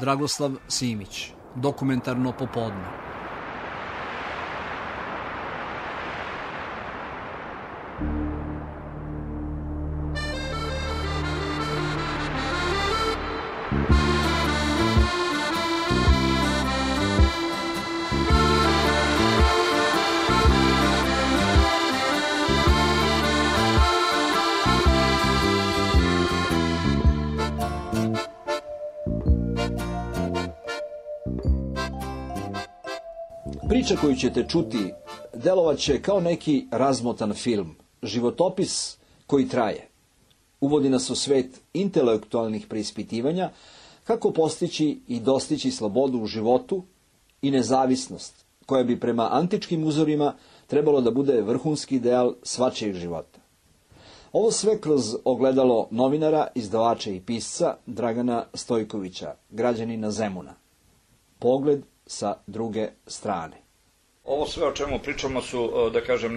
Dragoslav Simić, Dokumentarno popodne. Priča koju ćete čuti delovaće kao neki razmotan film, životopis koji traje. Uvodi nas u svet intelektualnih preispitivanja, kako postići i dostići slobodu u životu i nezavisnost, koja bi prema antičkim uzorima trebalo da bude vrhunski ideal svačijeg života. Ovo sve kroz ogledalo novinara, izdavača i pisca Dragana Stojkovića, građanina Zemuna. Pogled sa druge strane. Ovo sve o čemu pričamo su, da kažem,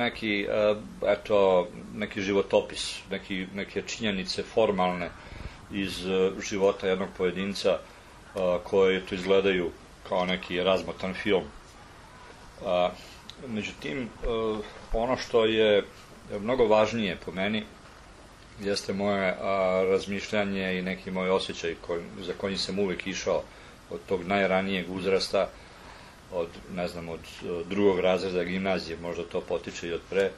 neki životopis, neke činjenice formalne iz života jednog pojedinca koje to izgledaju kao neki razmotan film. Međutim, ono što je mnogo važnije po meni jeste moje razmišljanje i neki moj osjećaj za kojim sam uvek išao od tog najranijeg uzrasta, od drugog razreda gimnazije, možda to potiče i od pre,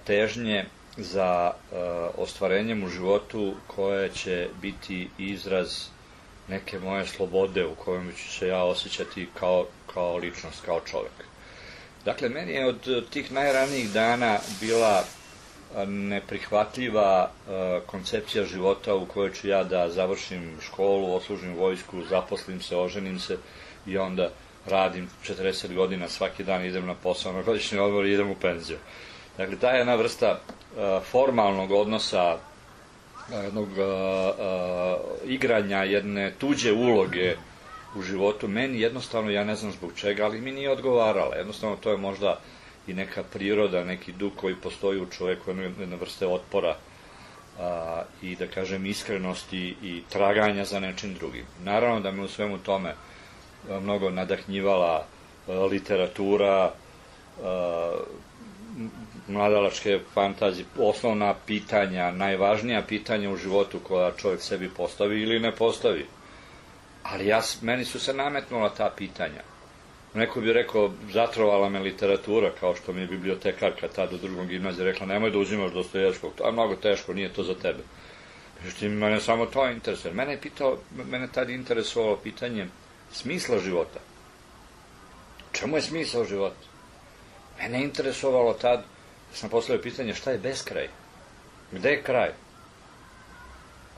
težnje za ostvarenjem u životu koje će biti izraz neke moje slobode u kojem ću se ja osjećati kao ličnost, kao čovek. Dakle, meni je od tih najranijih dana bila neprihvatljiva koncepcija života u kojoj ću ja da završim školu, odslužim vojsku, zaposlim se, oženim se i onda radim 40 godina, svaki dan idem na posao, na godišnji odmor i idem u penziju. Dakle, ta jedna vrsta formalnog odnosa, jednog igranja, jedne tuđe uloge u životu, meni jednostavno, ja ne znam zbog čega, ali mi nije odgovarala. Jednostavno, to je možda i neka priroda, neki duh koji postoji u čoveku, jedna vrste otpora i, da kažem, iskrenosti i traganja za nečim drugim. Naravno da me u svemu tome mnogo nadahnjivala literatura, mladalačke fantazije, osnovna pitanja, najvažnija pitanja u životu koja čovjek sebi postavi ili ne postavi. Ali meni su se nametnula ta pitanja. Neko bi rekao, zatrovala me literatura, kao što mi je bibliotekarka tada u drugom gimnaziju rekla, nemoj da uzimaš Dostojevskog, to je mnogo teško, nije to za tebe. Međutim, mene samo to interesuje. Mene tada interesovalo pitanje smisla života. Čemu je smisao života? Mene je interesovalo tad, sam postavio pitanje šta je beskraj? Gde je kraj?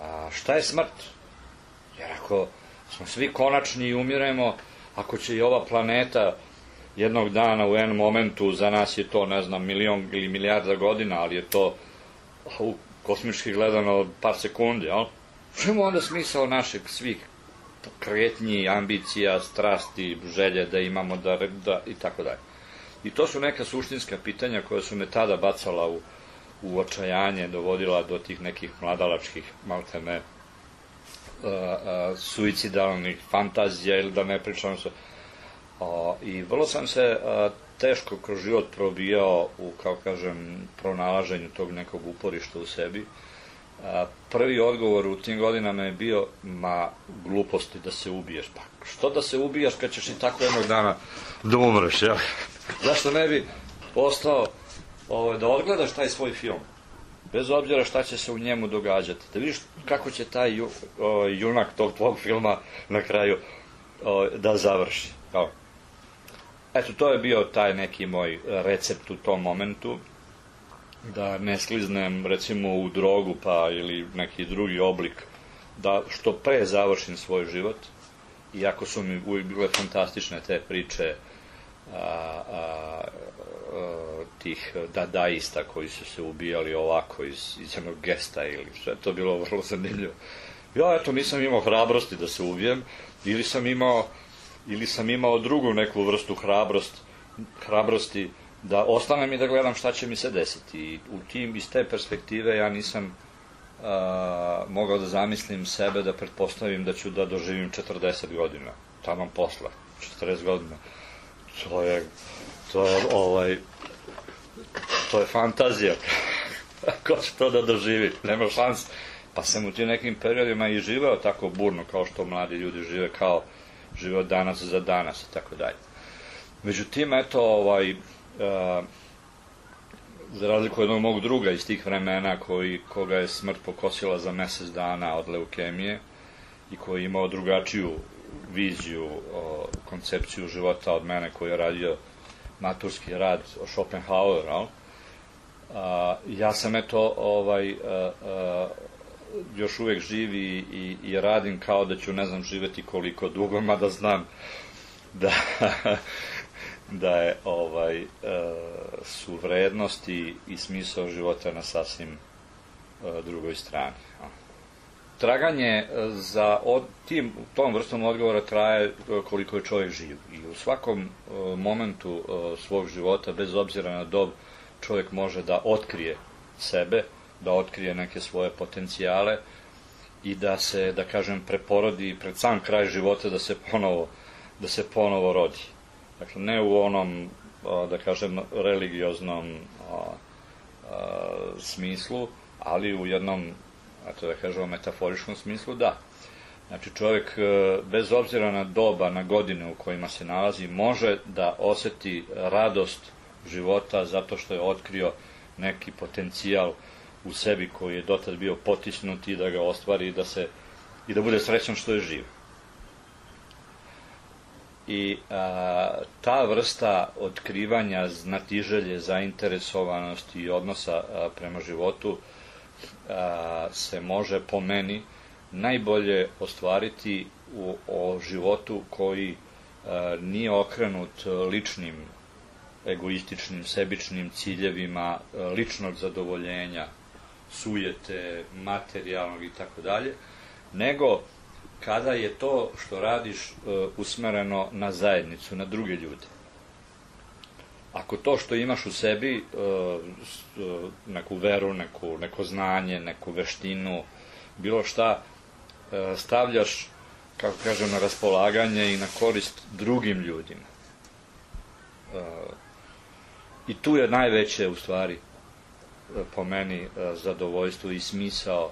A šta je smrt? Jer ako smo svi konačni i umiremo, ako će i ova planeta jednog dana u jednom momentu, za nas je to, ne znam, milion ili milijarda godina, ali je to kosmički gledano par sekundi, jel? Čemu onda smisao našeg svih kretnji, ambicija, strasti, želje da imamo i tako dalje. I to su neka suštinska pitanja koja su me tada bacala u očajanje, dovodila do tih nekih mladalačkih, maltene, suicidalnih fantazija ili da ne pričam se. I vrlo sam se teško kroz život probijao u, kao kažem, pronalaženju tog nekog uporišta u sebi. Prvi odgovor u tim godinama je bio, gluposti da se ubiješ. Pa što da se ubijaš kad ćeš i tako jednog dana da umreš, jel? Zašto ne bi ostao da odgledaš taj svoj film, bez obzira šta će se u njemu događati, da vidiš kako će taj junak tog tvog filma na kraju da završi. Eto, to je bio taj neki moj recept u tom momentu, da ne skliznem recimo u drogu pa ili neki drugi oblik, da što pre završim svoj život, iako su mi uvijek bile fantastične te priče tih dadaista koji su se ubijali ovako iz jednog gesta ili sve, to bilo vrlo zanimljivo. Ja, eto, nisam imao hrabrosti da se ubijem, ili sam imao drugu neku vrstu hrabrosti da ostanem i da gledam šta će mi se desiti. I iz te perspektive ja nisam mogao da zamislim sebe da pretpostavim da ću da doživim 40 godina, taman posla, 40 godina. To je fantazija. Ko će to da doživi? Nema šans. Pa sam u tim nekim periodima i živeo tako burno kao što mladi ljudi žive, kao žive od danas za danas i tako dalje. Međutim, eto, za razliku jednog mog druga iz tih vremena koga je smrt pokosila za mesec dana od leukemije i koji je imao drugačiju viziju, koncepciju života od mene, koji je radio maturski rad o Schopenhaueru, ja sam eto još uvek živ i radim kao da ću, ne znam, živeti koliko dugo, mada znam da je su vrednosti i smisao života na sasvim drugoj strani. Traganje za tom vrstom odgovora traje koliko je čovjek živ. I u svakom momentu svog života, bez obzira na dob, čovjek može da otkrije sebe, da otkrije neke svoje potencijale i da se, da kažem, preporodi pred sam kraj života da se ponovo rodi. Dakle, ne u onom, da kažem, religioznom smislu, ali u jednom, da kažemo, metaforičkom smislu, da. Znači, čovjek, bez obzira na doba, na godine u kojima se nalazi, može da oseti radost života zato što je otkrio neki potencijal u sebi koji je dotad bio potisnut i da ga ostvari i da bude srećan što je živ. I ta vrsta otkrivanja, znatiželje, zainteresovanosti i odnosa prema životu se može, po meni, najbolje ostvariti o životu koji nije okrenut ličnim, egoističnim, sebičnim ciljevima, ličnog zadovoljenja, sujete, materijalnog i tako dalje, nego kada je to što radiš usmereno na zajednicu, na druge ljude. Ako to što imaš u sebi, neku veru, neko znanje, neku veštinu, bilo šta, stavljaš, kako kažem, na raspolaganje i na korist drugim ljudima. I tu je najveće, u stvari, po meni, zadovoljstvo i smisao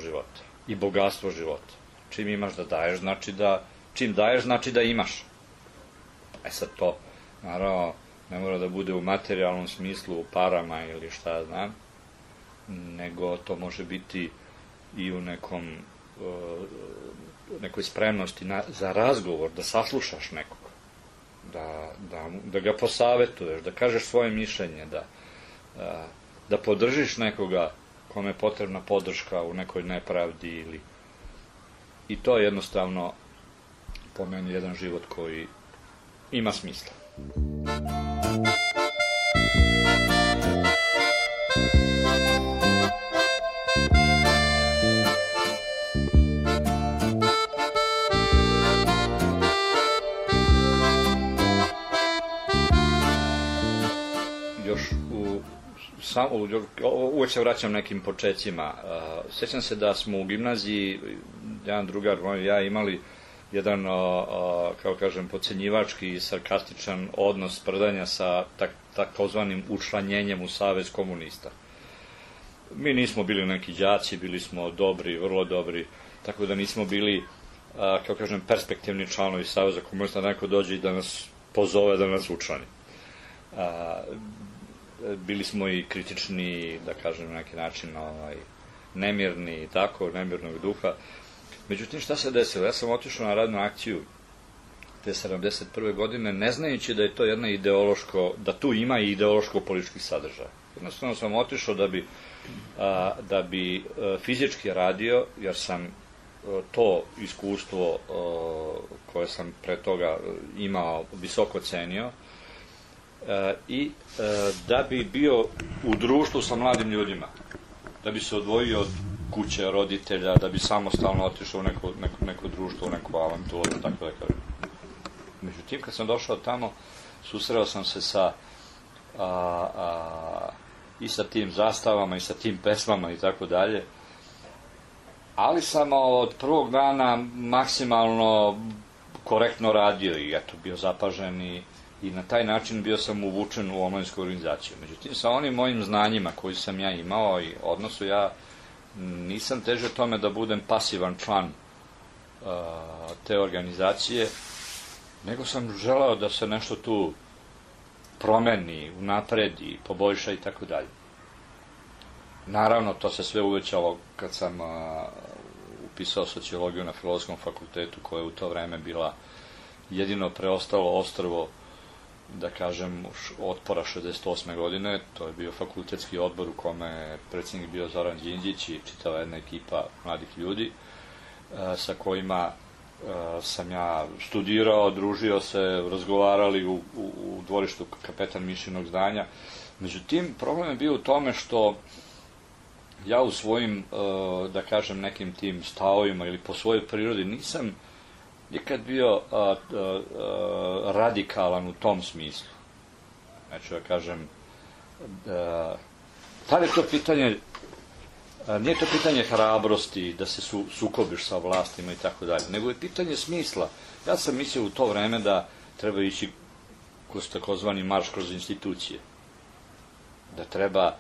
života. I bogatstvo života. Čim imaš da daješ, čim daješ, znači da imaš. Sad to, naravno, ne mora da bude u materijalnom smislu, u parama ili šta ja znam, nego to može biti i u nekoj spremnosti za razgovor, da saslušaš nekog, da ga posavetuješ, da kažeš svoje mišljenje, da podržiš nekoga kome je potrebna podrška u nekoj nepravdi i to je jednostavno po meni jedan život koji ima smisla. Uvijek se vraćam nekim počecima. Sjećam se da smo u gimnaziji, jedan drugar moj i ja, imali jedan, kao kažem, podcenjivački i sarkastičan odnos sprdanja sa takozvanim učlanjenjem u Savez komunista. Mi nismo bili neki đaci, bili smo dobri, vrlo dobri, tako da nismo bili, kao kažem, perspektivni članovi Saveza komunista, da neko dođe i da nas pozove da nas učlani. Bili smo i kritični, da kažem, na neki način nemirni i tako, nemirnog duha. Međutim, šta se desilo? Ja sam otišao na radnu akciju te 71. godine, ne znajući da je to jedna da tu ima i ideološko-politički sadržaj. Jednostavno sam otišao da bi fizički radio, jer sam to iskustvo koje sam pre toga imao visoko cenio, i da bi bio u društvu sa mladim ljudima, da bi se odvojio od kuće, roditelja, da bi samostalno otišao u neko društvo, u neku avanturu, tako da kažem. Međutim, kad sam došao tamo, susreo sam se sa i sa tim zastavama i sa tim pesmama i tako dalje. Ali sam od prvog dana maksimalno korektno radio i eto, bio zapažen i na taj način bio sam uvučen u omladinsku organizaciju. Međutim, sa onim mojim znanjima koji sam ja imao i odnosu, ja nisam težio tome da budem pasivan član te organizacije, nego sam želeo da se nešto tu promeni, unapredi, poboljša i tako dalje. Naravno, to se sve uvećalo kad sam upisao sociologiju na Filozofskom fakultetu, koja je u to vreme bila jedino preostalo ostrvo, da kažem, otpora 68. godine. To je bio fakultetski odbor u kome je predsjednik bio Zoran Đinđić i čitava jedna ekipa mladih ljudi sa kojima sam ja studirao, družio se, razgovarali u dvorištu Kapetan Mišinog zdanja. Međutim, problem je bio u tome što ja u svojim, da kažem, nekim tim stavovima ili po svojoj prirodi nisam nikad bio radikalan u tom smislu. Znači, da kažem, tad je to pitanje, nije to pitanje hrabrosti, da se sukobiš sa vlastima i tako dalje, nego je pitanje smisla. Ja sam mislio u to vreme da treba ići kroz takozvani marš kroz institucije. Da treba,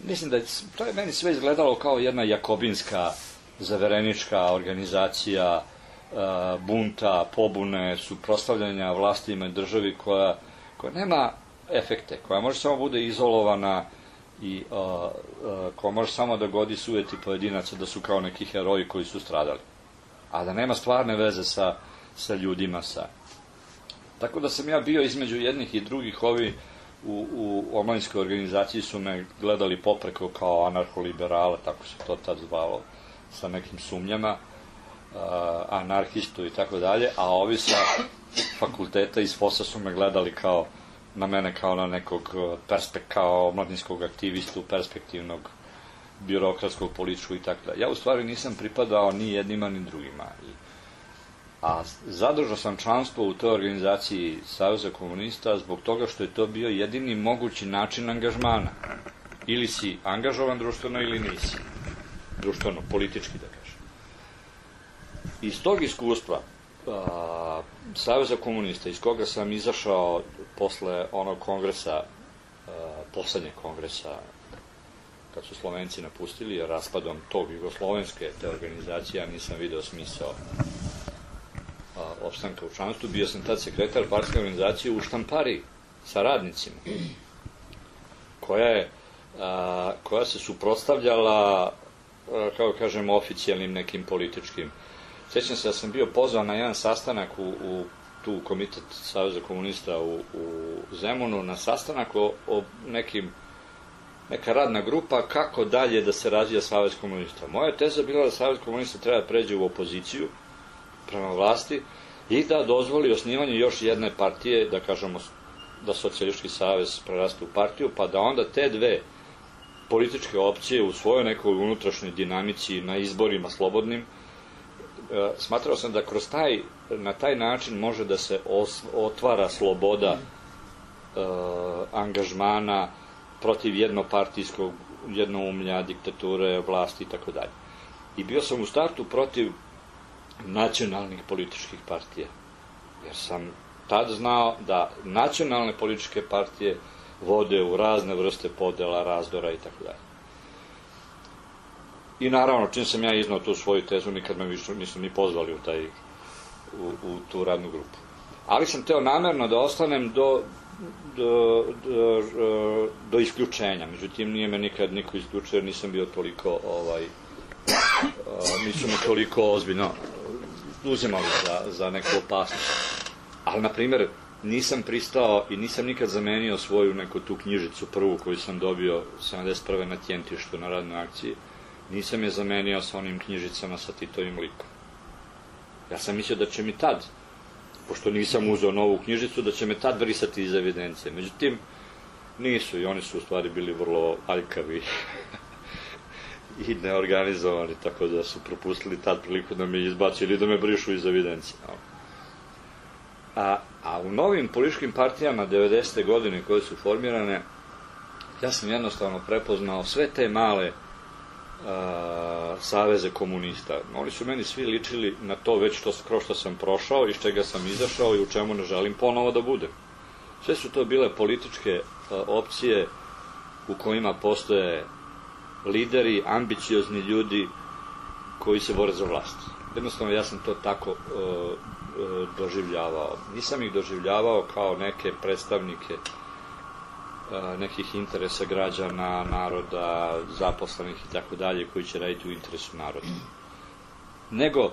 mislim da je, to je meni sve izgledalo kao jedna jakobinska, zaverenička organizacija bunta, pobune, suprotstavljanja vlastima i državi koja nema efekte, koja može samo bude izolovana i koja može samo da godi sujeti pojedinaca da su kao neki heroji koji su stradali, a da nema stvarne veze sa ljudima. Tako da sam ja bio između jednih i drugih. Ovi u omladinskoj organizaciji su me gledali popreko kao anarholiberala, tako se to tad zvalo, sa nekim sumnjama, anarhistu i tako dalje, a ovi sa fakulteta iz FOS-a su me gledali na mene kao na nekog kao omladinskog aktivistu, perspektivnog, birokratskog, političkog i tako dalje. Ja u stvari nisam pripadao ni jednima ni drugima. A zadržao sam članstvo u toj organizaciji Saveza komunista zbog toga što je to bio jedini mogući način angažmana. Ili si angažovan društveno ili nisi. Društveno, politički da kažem. Iz tog iskustva Saveza komunista, iz koga sam izašao posle onog kongresa, poslednjeg kongresa, kad su Slovenci napustili, jer raspadom tog jugoslovenske te organizacije, ja nisam video smisao opstanka u članstvu. Bio sam tad sekretar partijske organizacije u Štampariji sa radnicima, koja se suprotstavljala, kako kažem, oficijalnim nekim političkim. Sećam se da sam bio pozvan na jedan sastanak u tu komitet Saveza komunista u Zemunu, na sastanak o neka radna grupa kako dalje da se razvija Savez komunista. Moja teza bila da Savez komunista treba da pređe u opoziciju prema vlasti i da dozvoli osnivanje još jedne partije, da kažemo da Socijalistički savez preraste u partiju, pa da onda te dve političke opcije u svojoj nekoj unutrašnjoj dinamici na izborima slobodnim, smatrao sam da na taj način može da se otvara sloboda angažmana protiv jednopartijskog jednoumlja, diktature, vlasti i tako dalje. I bio sam u startu protiv nacionalnih političkih partija, jer sam tad znao da nacionalne političke partije vode u razne vrste podela, razdora i tako dalje. I naravno, čim sam ja iznao tu svoju tezu, nikad me više nisu ni pozvali u tu radnu grupu. Ali sam teo namerno da ostanem do isključenja. Međutim, nije me nikad niko isključio, jer nisam bio toliko nisu me toliko ozbiljno uzimali za neku opasnost. Ali, na primjer, nisam pristao i nisam nikad zamenio svoju neku tu knjižicu prvu koju sam dobio 71. na Tjentištu na radnoj akciji. Nisam je zamenio sa onim knjižicama sa Titovim likom. Ja sam mislio da će mi tad, pošto nisam uzeo novu knjižicu, da će me tad brisati iz evidencije. Međutim, nisu i oni su u stvari bili vrlo aljkavi i neorganizovani, tako da su propustili tad priliku da me izbaci ili da me brišu iz evidencije. A u novim političkim partijama 90. godine koje su formirane, Ja sam jednostavno prepoznao sve te male saveze komunista. Oni su meni svi ličili na to već kroz što sam prošao, iz čega sam izašao i u čemu ne želim ponovo da budem. Sve su to bile političke opcije u kojima postoje lideri, ambiciozni ljudi koji se bore za vlast. Jednostavno, ja sam to tako doživljavao. Nisam ih doživljavao kao neke predstavnike nekih interesa građana, naroda, zaposlenih i tako dalje, koji će raditi u interesu naroda. Nego,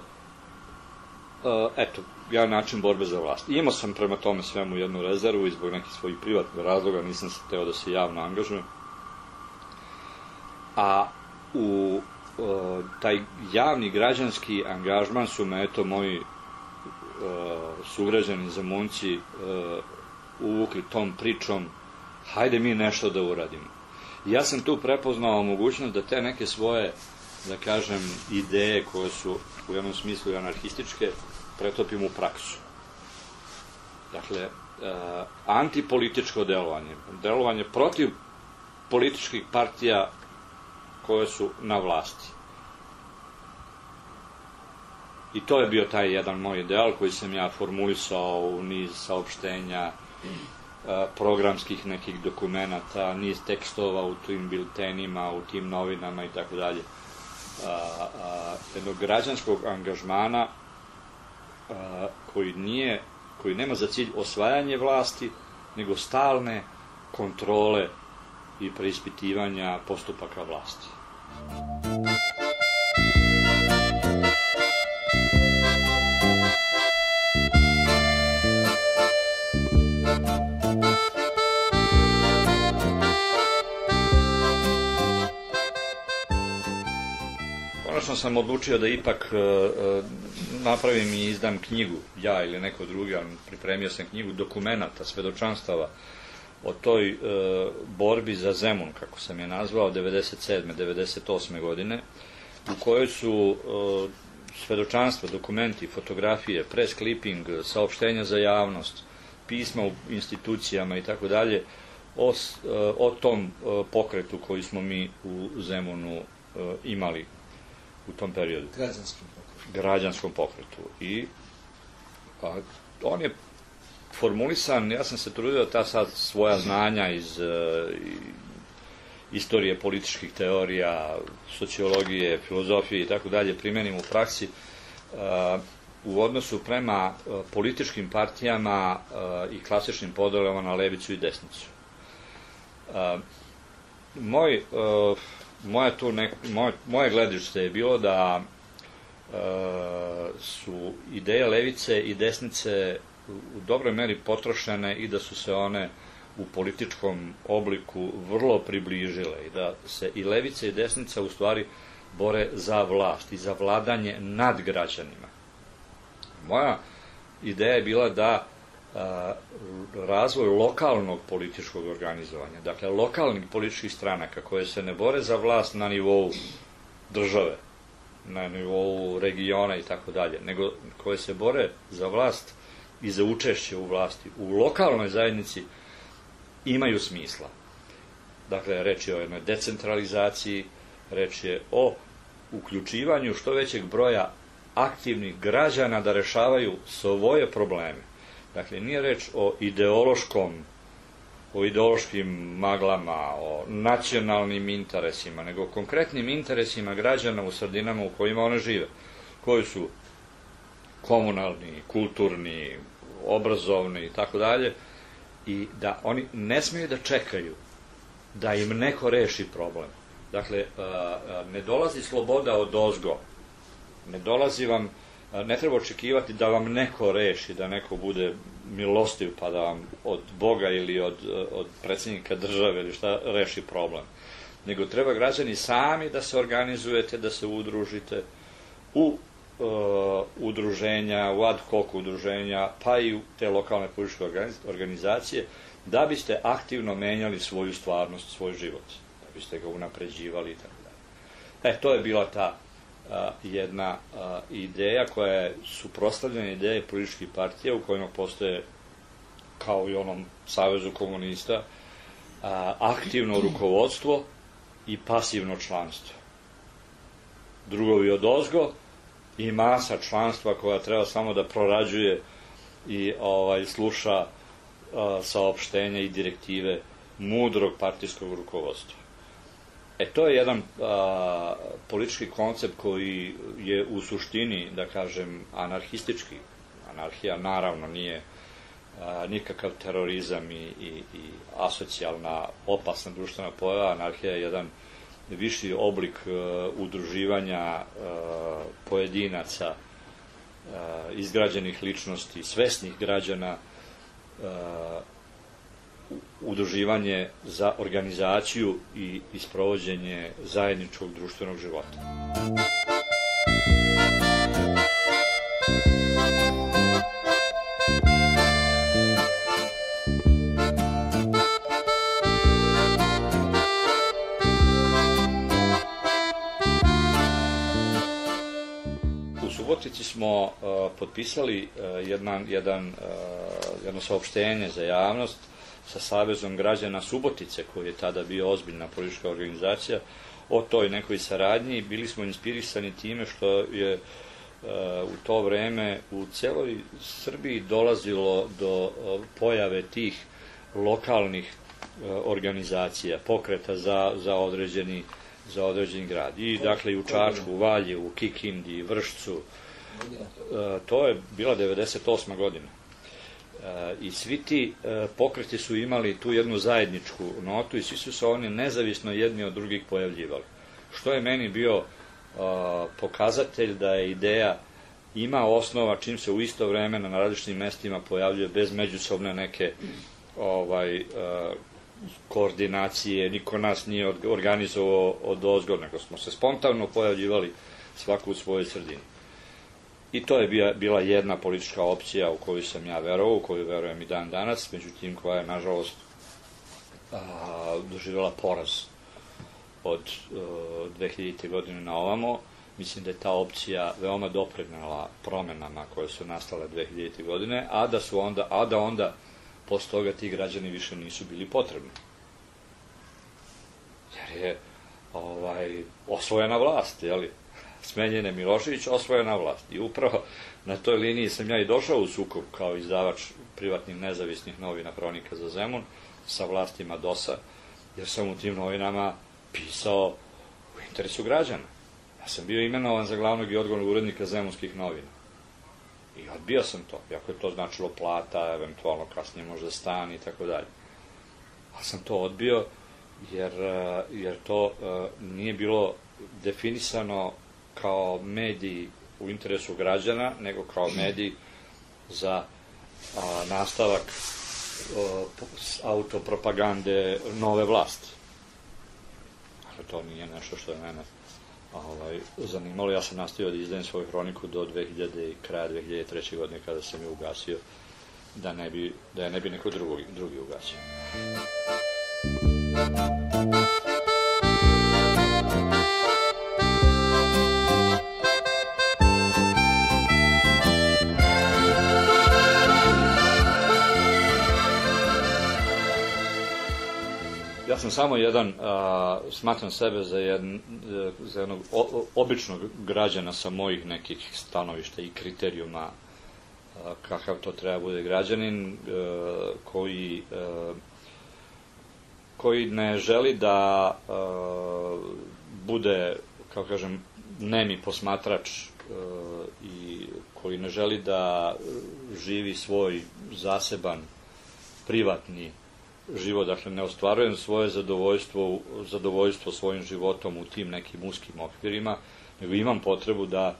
eto, jedan način borbe za vlast. Imao sam prema tome svemu jednu rezervu i zbog nekih svojih privatnih razloga nisam se hteo da se javno angažujem. A u taj javni građanski angažman su me, eto, moji sugrađani Zemunci uvukli tom pričom, hajde mi nešto da uradimo. Ja sam tu prepoznao mogućnost da te neke svoje, da kažem, ideje koje su u jednom smislu anarhističke, pretopim u praksu. Dakle, antipolitičko delovanje, delovanje protiv političkih partija koje su na vlasti. I to je bio taj jedan moj ideal koji sam ja formulisao u niz saopštenja, programskih nekih dokumenata, niz tekstova u tim biltenima, u tim novinama i tako dalje. Jednog građanskog angažmana koji nema za cilj osvajanje vlasti, nego stalne kontrole i preispitivanja postupaka vlasti. Konačno sam odlučio da ipak napravim i izdam knjigu, ja ili neko drugi, ali pripremio sam knjigu dokumenata, svedočanstava o toj borbi za Zemun, kako sam je nazvao, 97. 98. godine, u kojoj su svedočanstva, dokumenti, fotografije, press clipping, saopštenja za javnost, pisma u institucijama i tako dalje, o tom pokretu koji smo mi u Zemunu imali u tom periodu. Građanskom pokretu. I on je formulisan, ja sam se trudio da ta sad svoja znanja iz istorije političkih teorija, sociologije, filozofije i tako dalje primenim u praksi u odnosu prema političkim partijama i klasičnim podelama na levicu i desnicu. Moje gledište je bilo da su ideje levice i desnice u dobroj meri potrošene i da su se one u političkom obliku vrlo približile i da se i levica i desnica u stvari bore za vlast i za vladanje nad građanima. Moja ideja je bila da razvoj lokalnog političkog organizovanja, dakle lokalnih političkih stranaka koje se ne bore za vlast na nivou države, na nivou regiona i tako dalje, nego koje se bore za vlast i za učešće u vlasti u lokalnoj zajednici imaju smisla. Dakle, reč je o jednoj decentralizaciji, reč je o uključivanju što većeg broja aktivnih građana da rešavaju svoje probleme. Dakle, nije reč o ideološkim maglama, o nacionalnim interesima, nego o konkretnim interesima građana u sredinama u kojima one žive, koji su komunalni, kulturni, obrazovni i tako dalje, i da oni ne smiju da čekaju da im neko reši problem. Dakle, ne dolazi sloboda odozgo, ne treba očekivati da vam neko reši, da neko bude milostiv pa da vam od Boga ili od predsjednika države ili šta reši problem. Nego treba građani sami da se organizujete, da se udružite u udruženja, u ad hoc udruženja, pa i u te lokalne političke organizacije, da biste aktivno menjali svoju stvarnost, svoj život, da biste ga unapređivali i tako dalje. To je bila ta jedna ideja koja je suprotstavljena ideje političkih partija u kojima postoje, kao i onom Savezu komunista, aktivno rukovodstvo i pasivno članstvo. Drugovi odozgo i masa članstva koja treba samo da prorađuje i sluša saopštenja i direktive mudrog partijskog rukovodstva. To je jedan politički koncept koji je u suštini, da kažem, anarhistički. Anarhija naravno nije nikakav terorizam i asocijalna, opasna društvena pojava. Anarhija je jedan viši oblik udruživanja pojedinaca, izgrađenih ličnosti, svesnih građana, udruživanje za organizaciju i sprovođenje zajedničkog društvenog života. U Subotici smo potpisali jedno saopštenje za javnost sa Savezom građana Subotice, koji je tada bio ozbiljna politička organizacija, o toj nekoj saradnji. Bili smo inspirisani time što je u to vreme u celoj Srbiji dolazilo do pojave tih lokalnih organizacija, pokreta za određeni grad. I dakle i u Čačku, u Valjevu, u Kikindi, Vršcu. To je bila 98. godina. I svi ti pokreti su imali tu jednu zajedničku notu i svi su se oni nezavisno jedni od drugih pojavljivali. Što je meni bio pokazatelj da je ideja ima osnova čim se u isto vreme na različitim mestima pojavljuje bez međusobne neke koordinacije, niko nas nije organizovao odozgo, nego smo se spontano pojavljivali svako u svojoj sredini. I to je bila jedna politička opcija u koju sam ja verovao, u koju verujem i dan danas, međutim koja je, nažalost, doživjela poraz od 2000. godine na ovamo. Mislim da je ta opcija veoma doprinela promenama koje su nastale 2000. godine, a da onda posle toga ti građani više nisu bili potrebni. Jer je osvojena vlast, jeli? Smenjen je Milošević, osvojena vlast. I upravo na toj liniji sam ja i došao u sukob kao izdavač privatnih nezavisnih novina Hronika za Zemun sa vlastima DOS-a, jer sam u tim novinama pisao u interesu građana. Ja sam bio imenovan za glavnog i odgovornog urednika Zemunskih novina. I odbio sam to, iako je to značilo plata, eventualno kasnije možda stan i tako dalje. Ali sam to odbio jer to nije bilo definisano kao mediji u interesu građana, nego kao mediji za nastavak autopropagande nove vlasti. Dakle, to nije nešto što je mene zanimalo. Ja sam nastavio da izdajem svoju hroniku do kraja 2003. godine kada sam je ugasio, da je ne bi neko drugi ugasio. Ja sam samo smatram sebe za jednog običnog građana sa mojih nekih stanovišta i kriterijuma kakav to treba bude građanin, koji ne želi da bude, kao kažem, nemi posmatrač i koji ne želi da živi svoj zaseban, privatni život, dakle ne ostvarujem svoje zadovoljstvo svojim životom u tim nekim uskim okvirima, nego imam potrebu da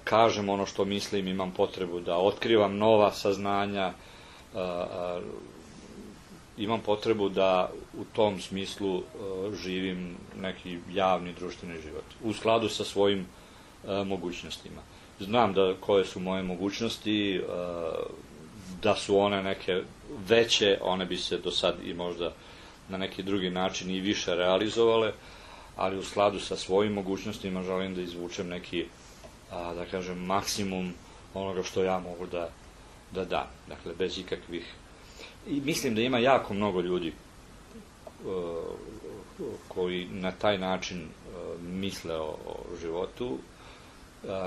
kažem ono što mislim, imam potrebu da otkrivam nova saznanja, imam potrebu da u tom smislu živim neki javni društveni život, u skladu sa svojim mogućnostima. Znam koje su moje mogućnosti, da su one neke veće, one bi se do sad i možda na neki drugi način i više realizovale, ali u skladu sa svojim mogućnostima želim da izvučem neki, da kažem, maksimum onoga što ja mogu da dam. Dakle, bez ikakvih I mislim da ima jako mnogo ljudi koji na taj način misle o životu.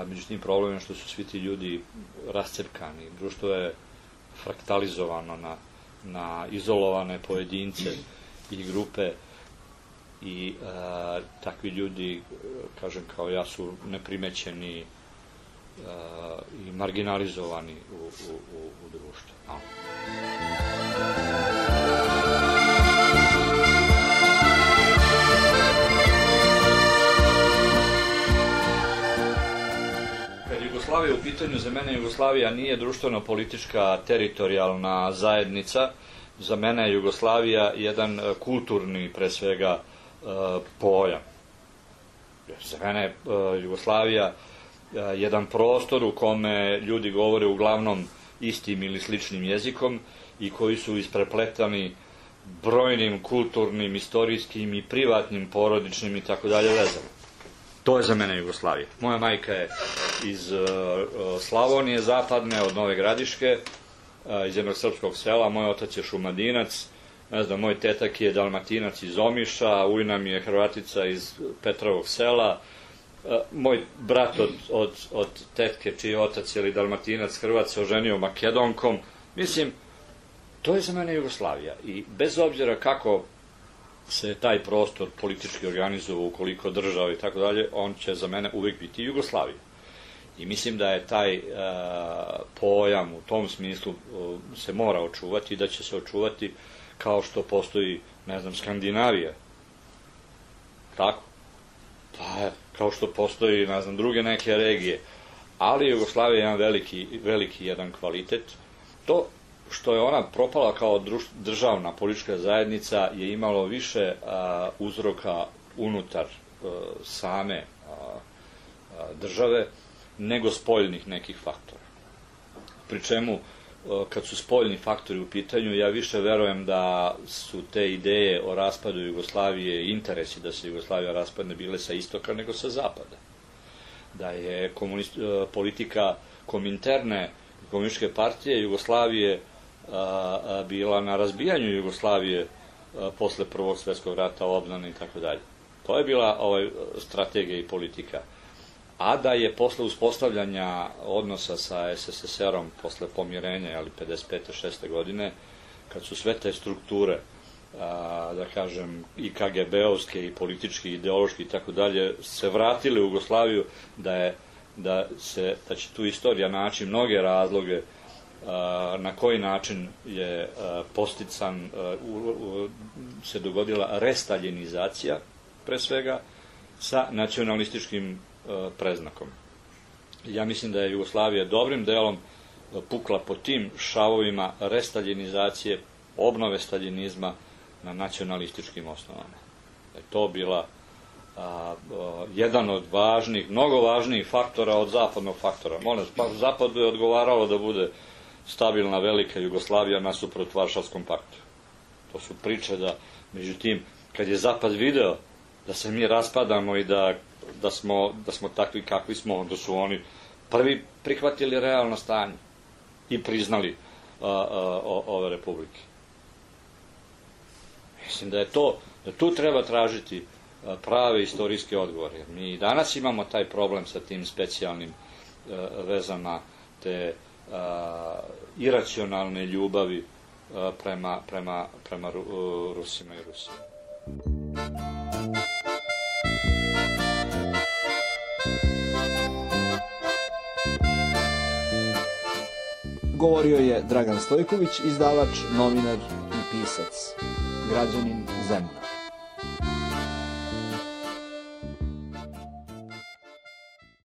Međutim, problem je što su svi ti ljudi rascepkani. Društvo je fraktalizovano na izolovane pojedince i grupe i takvi ljudi, kažem kao ja, su neprimećeni i marginalizovani u društvu. No. Jugoslavija u pitanju, za mene Jugoslavija nije društveno-politička teritorijalna zajednica. Za mene je Jugoslavija jedan kulturni, pre svega, pojam. Za mene je Jugoslavija jedan prostor u kome ljudi govore uglavnom istim ili sličnim jezikom i koji su isprepletani brojnim kulturnim, istorijskim i privatnim, porodičnim i tako dalje vezama. To je za mene Jugoslavija. Moja majka je iz Slavonije zapadne, od Nove Gradiške, iz jednog srpskog sela, moj otac je Šumadinac, ne znam, moj tetak je Dalmatinac iz Omiša, ujna mi je Hrvatica iz Petrovog sela, moj brat od tetke, čiji je otac je Dalmatinac, Hrvat, se oženio Makedonkom. Mislim, to je za mene Jugoslavija. I bez obzira kako se taj prostor politički organizovao, ukoliko država i tako dalje, on će za mene uvijek biti Jugoslavija. I mislim da je taj pojam u tom smislu se mora očuvati i da će se očuvati kao što postoji, ne znam, Skandinavija. Tako? Pa, kao što postoji, ne znam, druge neke regije. Ali Jugoslavija je jedan veliki jedan kvalitet. To što je ona propala kao državna politička zajednica je imalo više uzroka unutar same države nego spoljnih nekih faktora. Pri čemu, kad su spoljni faktori u pitanju, ja više verujem da su te ideje o raspadu Jugoslavije i interesi da se Jugoslavija raspadne bile sa istoka nego sa zapada. Da je politika Kominterne, komunističke partije Jugoslavije bila na razbijanju Jugoslavije posle Prvog svjetskog rata, obnane i tako dalje. To je bila strategija i politika. A da je posle uspostavljanja odnosa sa SSSR-om, posle pomirenja, 55. 6. godine, kad su sve te strukture, da kažem, i KGB-ovske, i politički, i ideološki i tako dalje, se vratile u Jugoslaviju, da će tu istorija naći mnoge razloge na koji način je postican, se dogodila restaljinizacija, pre svega, sa nacionalističkim preznakom. Ja mislim da je Jugoslavija dobrim delom pukla po tim šavovima restaljinizacije, obnove staljinizma na nacionalističkim osnovama. Da je to bila jedan od važnih, mnogo važnijih faktora od zapadnog faktora. Molim, zapadu je odgovaralo da bude stabilna velika Jugoslavija nasuprot Varšavskom paktu. To su priče da, međutim, kad je zapad video da se mi raspadamo i da smo takvi kakvi smo, onda su oni prvi prihvatili realno stanje i priznali ove republike. Mislim da tu treba tražiti prave istorijske odgovore. Mi danas imamo taj problem sa tim specijalnim vezama te iracionalne ljubavi prema Rusima i Rusiji. Govorio je Dragan Stojković, izdavač, novinar i pisac, građanin Zemuna.